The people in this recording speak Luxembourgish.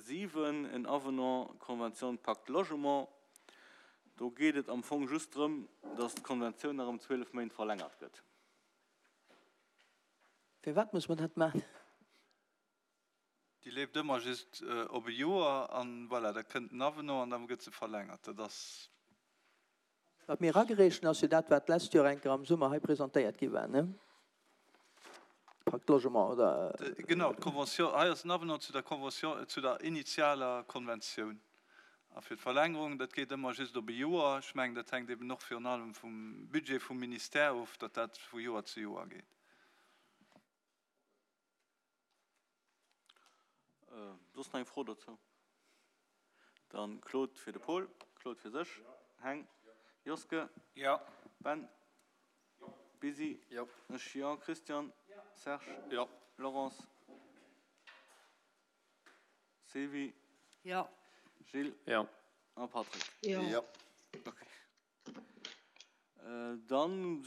7, en Avenant Convention Pacte Logement. Do geet et am Fong just drëm, dass d'Konventioun nach ëm 12 Méint verlängert gëtt. Firwat muss mer dat maachen? Déi leeft ëmmer just op e Joer an voilà, da kënnt en Avenant an da gëtt se verlängert. Dat ass. Wat mir eragereecht hunn, ass jo dat, wat d'lescht Joer eng Kéier am Summer hei presentéiert gi war, ne? Pacte Logement, oder? Genau, d'Convention, hei ass en Avenant zu der Convention, zu der initialer Konventioun. A fir d'Verlängerung, dat geet ëmmer just op e Joer. Ech mengen, dat hänkt eben och virun allem vum Budget vum Ministère of, datt dat vu Joer zu Joer geet. Soss nach eng Fro dozou? Dann Claude fir de Paul, Claude fir sech, Heng, Joske, Ben, Busy, ech, jo, Christian, Serge, Laurence, Sylvie, Gilles a Patrick. Okay. Dann.